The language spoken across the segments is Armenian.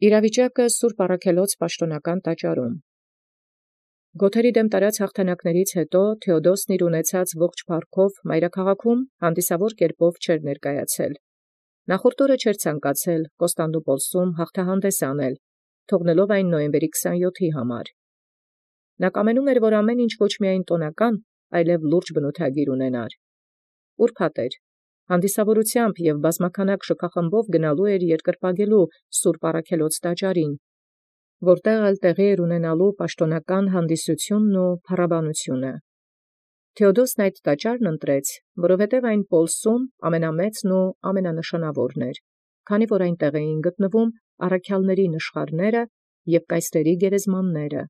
Իրավիճակը Սուրբ Առաքելոց պաշտոնական տաճարում։ Գոթերի դեմ տարած հաղթանակներից հետո Թէոդոսն իր ունեցած ողջ փառքով մայրաքաղաքում հանդիսավոր կերպով չէր ներկայացել։ Նախորդ օրը չէր ցանկացել Կոստանդնուպոլսում հաղթահանդես անել, թողնելով այն նոյեմբերի 27-ի համար։ Նա կամենում էր, որ ամեն ինչ ոչ միայն տոնական, այլև լուրջ բնութագիր ունենար։ Ուրբաթ էր, հանդիսավորությամբ և բազմաքանակ շքախմբով գնալու էր երկրպագելու Սուրբ Առաքելոց տաճարին, որտեղ էլ տեղի էր ունենալու պաշտոնական հանդիսությունն ու փառաբանությունը։ Թէոդոսն այդ տաճարն ընտրեց, որովհետև այն Պոլսում ամենամեծն ու ամենանշանաւորն էր, քանի որ այնտեղ էին գտնվում առաքյալների նշխարները և կայսրերի գերեզմանները,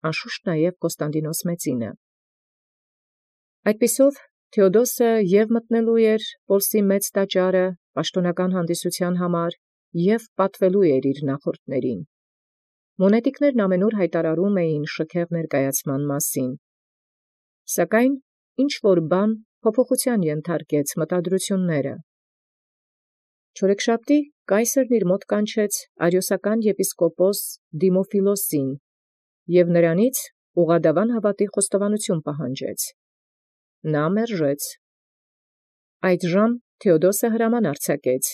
անշուշտ նաև Կոստանդինոս Մեծինը։ Այդպիսով Թէոդոսը և մտնելու էր Պոլսի մեծ տաճարը պաշտոնական հանդիսութեան համար և պատվելու էր իր նախորդներին։ Մոնետիկներն ամենուր հայտարարում էին շքեղ ներկայացման մասին։ Սակայն ինչ-որ բան փոփոխութեան ենթարկեց մտադրությունները։ Չորեքշաբթի կայսերն իր մոտ կանչեց արիոսական եպիսկոպոս Դիմոֆիլոսին և նրանից ուղղադավան հաւատի խոստովանություն պահանջեց։ Նա մերժեց։ Այդժամ Թէոդոսը հրաման արձակեց.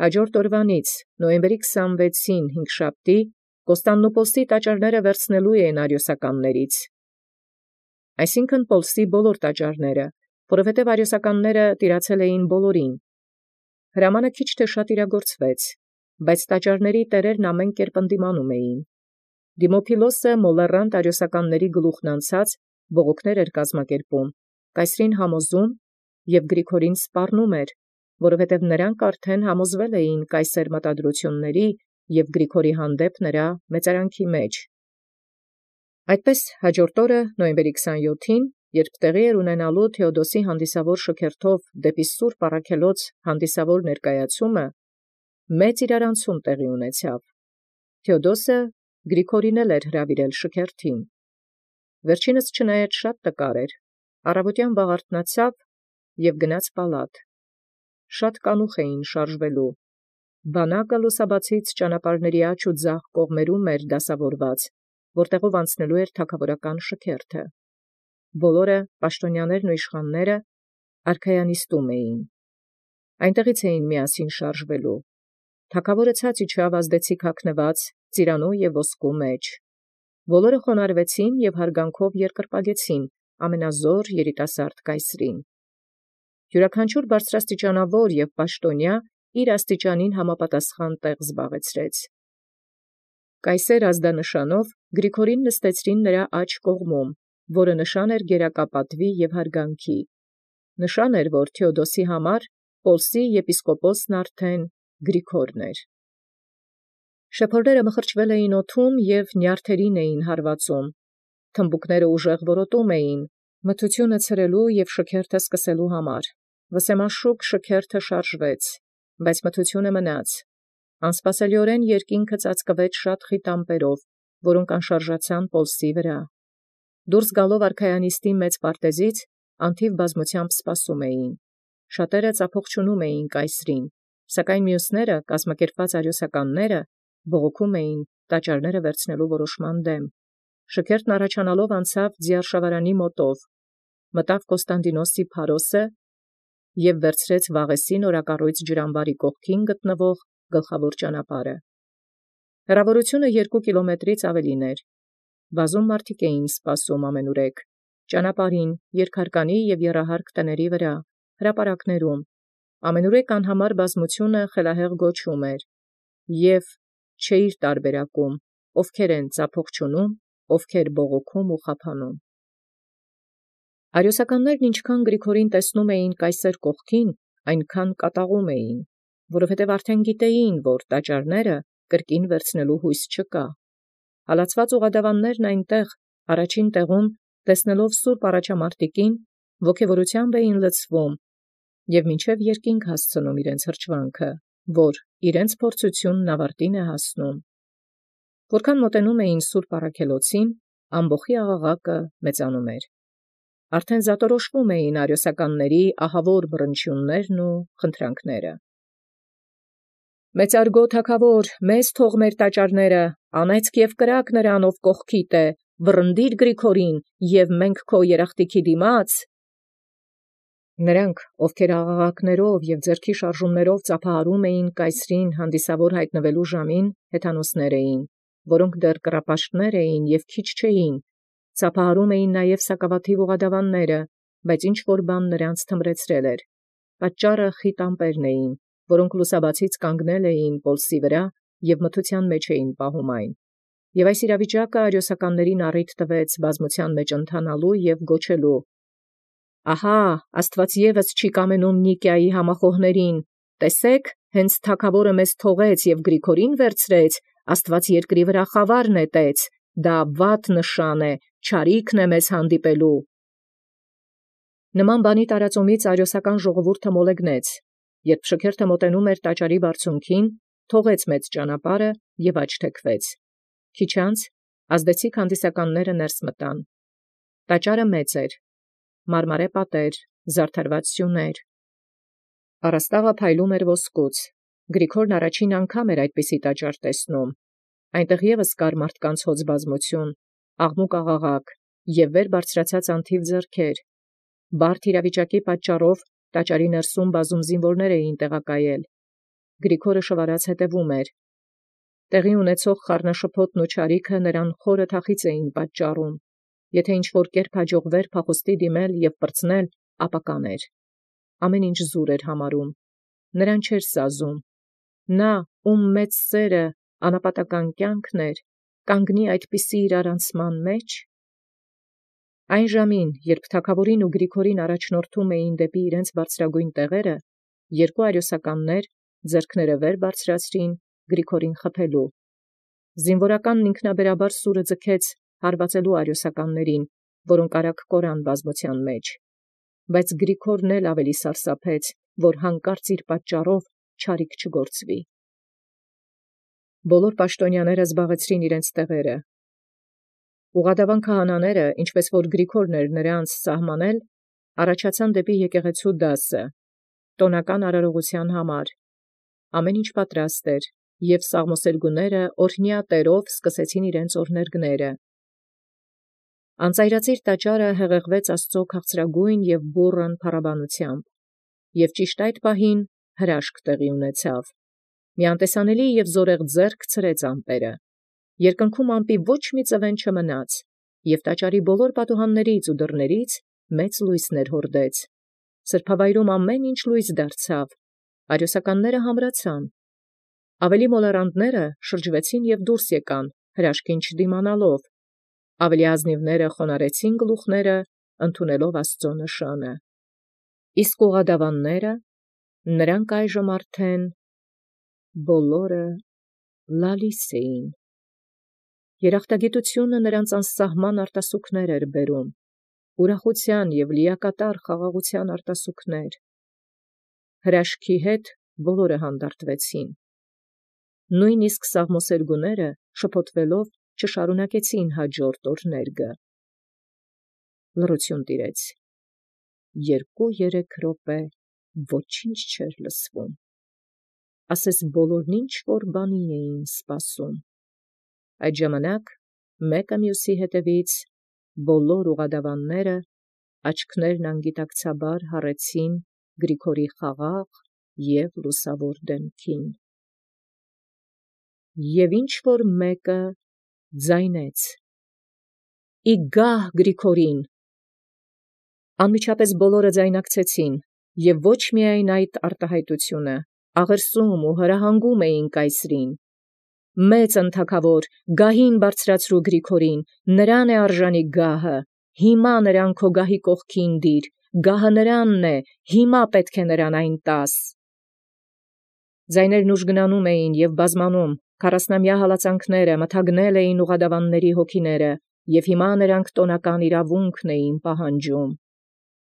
հաջորդ օրվանից նոյեմբերի 26-ին հինգշաբթի Կոստանդնուպոլսի տաճարները վերցնելու են արիոսականներից, այսինքն Պոլսի բոլոր տաճարները, որովհետև արիոսականները տիրացել էին բոլորին։ Հրամանը քիչ թե շատ իրագործվեց, բայց տաճարների տերերն ամեն կերպ ընդդիմանում էին։ Դիմոփիլոսը մոլեռանդ արիոսականների գլուխն անցած բողոքներ էր կազմակերպում, կայսրին համոզում և Գրիգորին սպառնում էր, որովհետև նրանք արդեն համոզվել էին կայսեր մտադրությունների և Գրիգորի հանդեպ նրա մեծարանքի մեջ։ Այդպես հաջորդ օրը նոյեմբերի 27-ին, երբ տեղի էր ունենալու Թէոդոսի հանդիսավոր շքերթով դեպի Սուրբ Առաքելոց հանդիսավոր ներկայացումը, մեծ իրարանցում տեղի ունեցավ։ Թէոդոսը Գրիգորին էր հրավիրել շքերթին։ Վերջինս չնայած շատ տկար էր, առավոտյան վաղ արթնացավ և գնաց պալատ։ Շատ կանուխ էին շարժվելու։ Բանակը լուսաբացից ճանապարհների աջ ու ձախ կողմերում էր դասավորված, որտեղով անցնելու էր թագաւորական շքերթը։ Բոլորը պաշտոնյաներն ու իշխանները արքայանիստում էին։ Այնտեղից էին միասին շարժվելու։ Թագաւորը ցած իջավ ազդեցիկ հագնված ծիրանու և ոսկու մեջ։ Բոլորը խոնարհվեցին և հարգանքով երկրպագեցին ամենազոր երիտասարդ կայսրին։ Յուրաքանչյուր բարձրաստիճանավոր և պաշտոնյա իր աստիճանին համապատասխան տեղ զբաղեցրեց։ Կայսեր ազդանշանով Գրիգորին նստեցրին նրա աջ կողմում, որը նշան էր գերակապատուի և հարգանքի։ Նշան էր, որ Թէոդոսի համար Պոլսի եպիսկոպոսն արդեն Գրիգորն էր։ Շեփորները մխրճվել էին օդում և նյարդերին էին հարվածում։ Թմբուկները ուժեղ որոտում էին, մթությունը ցրելու և շքերթը սկսելու համար։ Վսեմաշուկ շքերթը շարժվեց, բայց մթությունը մնաց։ Անսպասելիորեն երկինքը ծածկվեց շատ խիտ ամպերով, որոնք անշարժացան Պոլսի վրա։ Դուրս գալով արքայանիստի մեծ պարտեզից, անթիվ բազմությամբ սպասում էին։ Շատերը ծափողջունում էին կայսրին, սակայն մյուսները, կազմակերպված արիոսականները, բողոքում էին տաճարները վերցնելու որոշման դեմ։ Շքերթն առաջանալով անցավ Ձիարշավարանի մոտով, մտավ Կոստանդինոսի Փարոսը և վերցրեց Վաղեսի նորակառույց ջրամբարի կողքին գտնվող գլխավոր ճանապարհը։ Հեռավորությունը 2 կիլոմետրից ավելին էր։ Բազում մարդիկ էին սպասում ամենուրեք, ճանապարհին, երկհարկանի և եռահարկ տների վրա, հրապարակներում։ Ամենուրեք անհամար բազմությունը խելահեղ գոչում էր և չէիր տարբերակում, ովքեր են ծափողջունում, ովքեր բողոքում ու խափանում։ Արիոսականներն ինչքան Գրիգորին տեսնում էին կայսեր կողքին, այնքան կատաղում էին, որովհետև արդեն գիտեին, որ տաճարները կրկին վերցնելու հույս չկա։ Հալածված ուղղադավաններն այնտեղ առաջին տեղում, տեսնելով սուրբ առաջամարտիկին, ոգևորությամբ էին լցվում և մինչև երկինք հասցնում իրենց հրճվանքը, որ իրենց փորձությունն ավարտին է հասնում։ Որքան մոտենում էին Սուրբ Առաքելոցին, ամբոխի աղաղակը մեծանում էր։ Արդեն զատորոշվում էին արիոսականների ահավոր բռնչյուններն ու խնդրանքները։ Մեծարգո թագավոր, մեզ թող մեր տաճարները, անեծք և կրակ նրան, ով կողքիդ է, վռնդիր Գրիգորին, և մենք քո երախտիքի դիմաց։ Նրանք, ովքեր աղաղակներով և ձեռքի շարժումներով ծափահարում էին կայսրին հանդիսավոր հայտնվելու ժամին, հեթանոսներ էին, որոնք դեռ կռապաշտներ էին և քիչ չէին, ծափահարում էին նաև սակավաթիվ ուղղադավանները, բայց ինչ-որ բան նրանց թմրեցրել էր։ Պատճառը խիտ ամպերն էին, որոնք լուսաբացից կանգնել էին պոլսի վրա և մթության մեջ էին պահում այն։ Եւ այս իրավիճակը արիոսականներին առիթ տվեց բազմության մեջ ընթանալու եւ գոչելու. «Ահա, Աստված եւս չի կամենում Նիկիայի համախոհներին. տեսեք, հենց թագավորը մեզ թողեց եւ Գրիգորին վերցրեց, Աստված երկրի վրա խավար նետեց, դա վատ նշան է, չարիքն է մեզ հանդիպելու»։ Նման բանի տարածումից արիոսական ժողովուրդը մոլեգնեց, երբ շքերթը մոտենում էր տաճարի բարձունքին, թողեց մեծ ճանապարհը եւ աչթեքվեց։ Քիչ անց ազդեցիկ հանդիսականները ներս մտան։ Տաճարը մեծ էր, մարմարե պատեր, զարդարված սյուներ։ Առաստաղը փայլում էր ոսկուց։ Գրիգորն առաջին անգամ էր այդպիսի տաճար տեսնում։ Այնտեղ ևս կար մարդկանց հոծ բազմություն, աղմուկ աղաղակ եւ վեր բարձրացած անթիվ ձեռքեր։ Բարդ իրավիճակի պատճառով տաճարի ներսում բազում զինվորներ էին տեղակայել։ Գրիգորը շվարած հետևում էր։ Տեղի ունեցող խառնաշփոթն ու չարիքը նրան խորը թախիծ էին պատճառում։ Եթե ինչ-որ կերպ հաջողվեր փախուստի դիմել եւ պրծնել, ապա կաներ։ Ամեն ինչ զուր էր համարում։ Նրան չէր սազում։ Նա, ում մեծ սերը անապատական կյանքն էր, կանգնի այդպիսի իրարանցման մեջ։ Այն ժամին, երբ թագավորին ու Գրիգորին առաջնորդում էին դեպի իրենց բարձրագույն տեղերը, երկու արիոսականներ ձեռքները վեր բարձրացրին Գրիգորին խփելու։ Զինվորականն ինքնաբերաբար սուրը ձգեց հարվածելու արիոսականներին, որոնք արագ կորան բազմության մեջ։ Բայց Գրիգորն էլ ավելի սարսափեց, որ հանկարծ իր պատճառով չարիք չգործվի։ Բոլոր պաշտոնյաները զբաղեցրին իրենց տեղերը։ Ուղղադավան քահանաները, ինչպես որ Գրիգորն էր նրանց սահմանել, առաջացան դեպի եկեղեցու դասը, տոնական արարողության համար։ Ամեն ինչ պատրաստ էր, և սաղմոսերգուները օրհնյա տերով սկսեցին իրենց օրհներգները։ Անծայրածիր տաճարը հեղեղվեց Աստծո քաղցրագույն և բուռն փառաբանությամբ, և ճիշտ այդ պահին հրաշք տեղի ունեցավ։ Մի անտեսանելի և զորեղ ձեռք ցրեց ամպերը։ Երկնքում ամպի ոչ մի ծվեն չմնաց, և տաճարի բոլոր պատուհաններից ու դռներից մեծ լույսներ հորդեց։ Սրբավայրում ամեն ինչ լույս դարձավ, արիոսականները համրացան։ Ավելի մոլեռանդները շրջվեցին և դուրս եկան, հրաշքին չդիմանալով։ Ավելի ազնիվները խոնարհեցին գլուխները, ընդունելով Աստծո նշանը։ Իսկ ուղղադավանները, նրանք այժմ արդեն բոլորը լալիս էին։ Երախտագիտությունը նրանց անսահման արտասուքներ էր բերում, ուրախության և լիակատար խաղաղության արտասուքներ։ Հրաշքի հետ բոլորը հանդարտվեցին։ Նույնիսկ սաղմոսերգուները շփոթվելով չշարունակեցին հաջորդ օրհներգը։ Լռություն տիրեց։ 2-3 րոպե ոչինչ չէր լսվում։ Ասես բոլորն ինչ-որ բանի էին սպասում։ Այդ ժամանակ մեկը մյուսի հետևից բոլոր ուղղադավանները աչքներն անգիտակցաբար հառեցին Գրիգորի խաղաղ և լուսավոր դեմքին։ Եվ ինչ-որ մեկը ձայնեց. «Ի գահ Գրիգորին»։ Անմիջապես բոլորը ձայնակցեցին, և ոչ միայն այդ արտահայտությունը, աղերսում ու հրահանգում էին կայսրին. «Մեծ ընթագավոր, գահին բարձրացրու Գրիգորին, նրան է արժանի գահը, հիմա նրան քո գահի կողքին դիր, գահը նրանն է, հիմա պետք է նրան այն տաս»։ Ձայներն ուժգնանում էին և բազմանում, քառասնամյա հալածանքները մթագնել էին ուղղադավանների հոգիները, և հիմա նրանք տոնական իրավունքն էին պահանջում։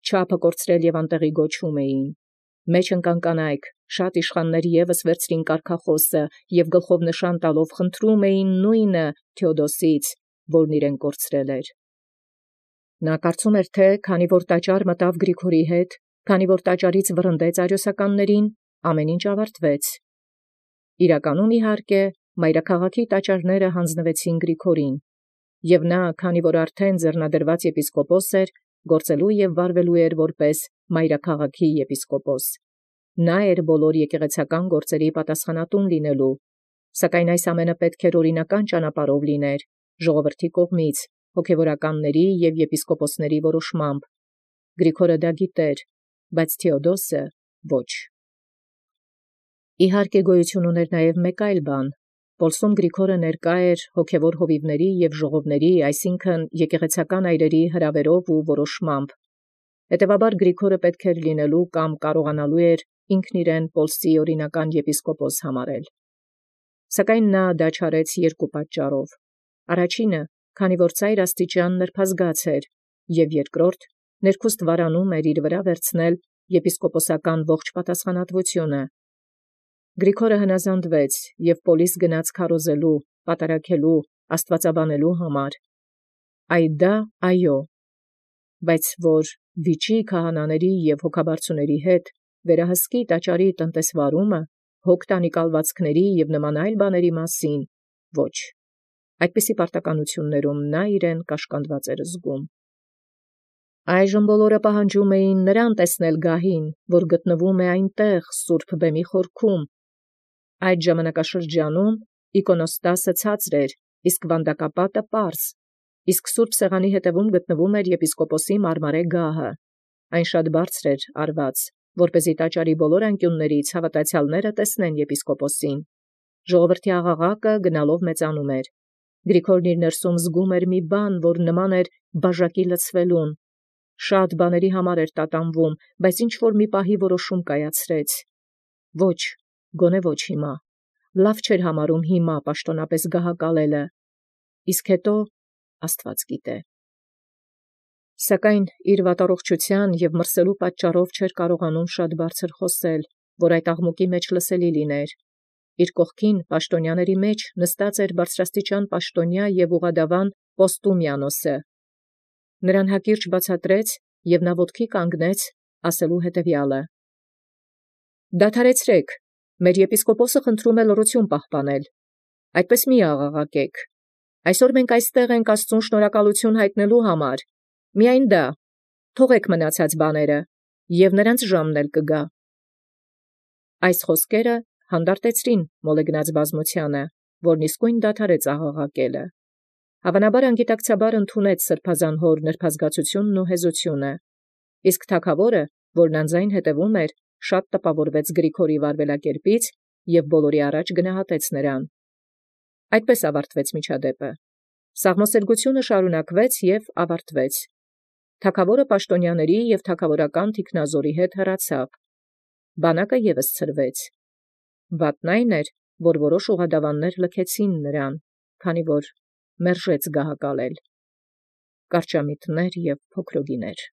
Չափը կորցրել և անտեղի գոչում էին. «Մեջ ընկան կանայք», շատ իշխաններ ևս վերցրին կարգախոսը և գլխով նշան տալով խնդրում էին նույնը Թեոդոսից, որն իրեն կորցրել էր։ Նա կարծում էր, թե քանի որ տաճար մտավ Գրիգորի հետ, քանի որ տաճարից վռնդեց արիոսականներին, ամեն ինչ ավարտվեց։ Իրականում իհարկե մայրաքաղաքի տաճարները հանձնվեցին Գրիգորին, և նա, քանի որ արդեն ձեռնադրված եպիսկոպոս էր, գործելու և վարվելու էր որպես մայրաքաղաքի եպիսկոպոս։ Նա էր բոլոր եկեղեցական գործերի պատասխանատուն լինելու, սակայն այս ամենը պետք էր օրինական ճանապարհով լիներ, ժողովրդի կողմից, հոգևորականների և եպիսկոպոսների որոշմամբ։ Գրիգորը դա գիտեր, բայց Թեոդոսը ոչ։ Իհարկե գոյություն ուներ նաև մեկ այլ բան. Պոլսում Գրիգորը ներկա էր հոգևոր հովիվների և ժողովների, այսինքն եկեղեցական այրերի հրավերով ու որոշմամբ։ Հետևաբար Գրիգորը պետք էր լինելու կամ կարողանալու էր ինքն իրեն Պոլսի օրինական եպիսկոպոս համարել։ Սակայն նա դա չարեց երկու պատճառով. առաջինը, քանի որ ծայր աստիճան նրբազգաց էր, և երկրորդ, ներքուստ վարանում էր իր վրա վերցնել եպիսկոպոսական ողջ պատասխանատվությունը։ Գրիգորը հնազանդվեց և Պոլիս գնաց քարոզելու, պատարագելու, աստվածաբանելու համար։ Այ դա այո, բայց որ վիճի քահանաների և հոգաբարձուների հետ վերահսկի տաճարի տնտեսվարումը, հոգ տանի կալվածքների և նման այլ բաների մասին, ոչ։ Այդպիսի պարտականություններում նա իրեն կաշկանդված էր զգում։ Այժմ բոլորը պահանջում էին նրան տեսնել գահին, որ գտնվում է այնտեղ սուրբ բեմի խորքում։ Այդ ժամանակաշրջանում իկոնոստասը ցածր էր, իսկ վանդակապատը պարզ, իսկ սուրբ սեղանի հետևում գտնվում էր եպիսկոպոսի մարմարե գահը։ Այն շատ բարձր էր արված, որպեսզի տաճարի բոլոր անկյուններից հավատացյալները տեսնեն եպիսկոպոսին։ Ժողովրդի աղաղակը գնալով մեծանում էր։ Գրիգորն իր ներսում զգում էր մի բան, որ նման էր բաժակի լցվելուն։ Շատ բաների համար էր տատանվում, բայց ինչ-որ մի պահի որոշում կայացրեց. ոչ, գոնե ոչ հիմա։ Լավ չէր համարում հիմա պաշտոնապես գահակալելը, իսկ հետո Աստված գիտե։ Սակայն իր վատառողջության և մրսելու պատճառով չէր կարողանում շատ բարձր խոսել, որ այդ աղմուկի մեջ լսելի լիներ։ Իր կողքին պաշտոնյաների մեջ նստած էր բարձրաստիճան պաշտոնյա և ուղղադավան Պոստումիանոսը։ Նրան հակիրճ բացատրեց, և նա ոտքի կանգնեց, ասելու հետևյալը. «Դադարեցրեք, մեր եպիսկոպոսը խնդրում է լռություն պահպանել, այդպես մի աղաղակեք։ Այսօր մենք այստեղ ենք Աստծուն շնորհակալություն հայտնելու համար, միայն դա, թողեք մնացած բաները, և նրանց ժամն էլ կգա»։ Այս խոսքերը հանդարտեցրին մոլեգնած բազմությանը, որն իսկույն դադարեց աղաղակելը։ Հավանաբար անգիտակցաբար ընդունեց սրբազան հոր նրբազգացությունն ու հեզությունը, իսկ թագավորը, որն անձայն հետևում էր, շատ տպավորվեց Գրիգորի վարվելակերպից և բոլորի առաջ գնահատեց նրան։ Այդպես ավարտվեց միջադեպը։ Սաղմոսերգությունը շարունակվեց և ավարտվեց։ Թագավորը պաշտոնյաների և թագավորական թիկնազորի հետ հեռացավ։ Բանակը ևս ցրվեց։ Վատն այն էր, որ որոշ ուղղադավաններ լքեցին նրան, քանի որ մերժեց գահակալել։ Կարճամիտներ և փոքրոգիներ։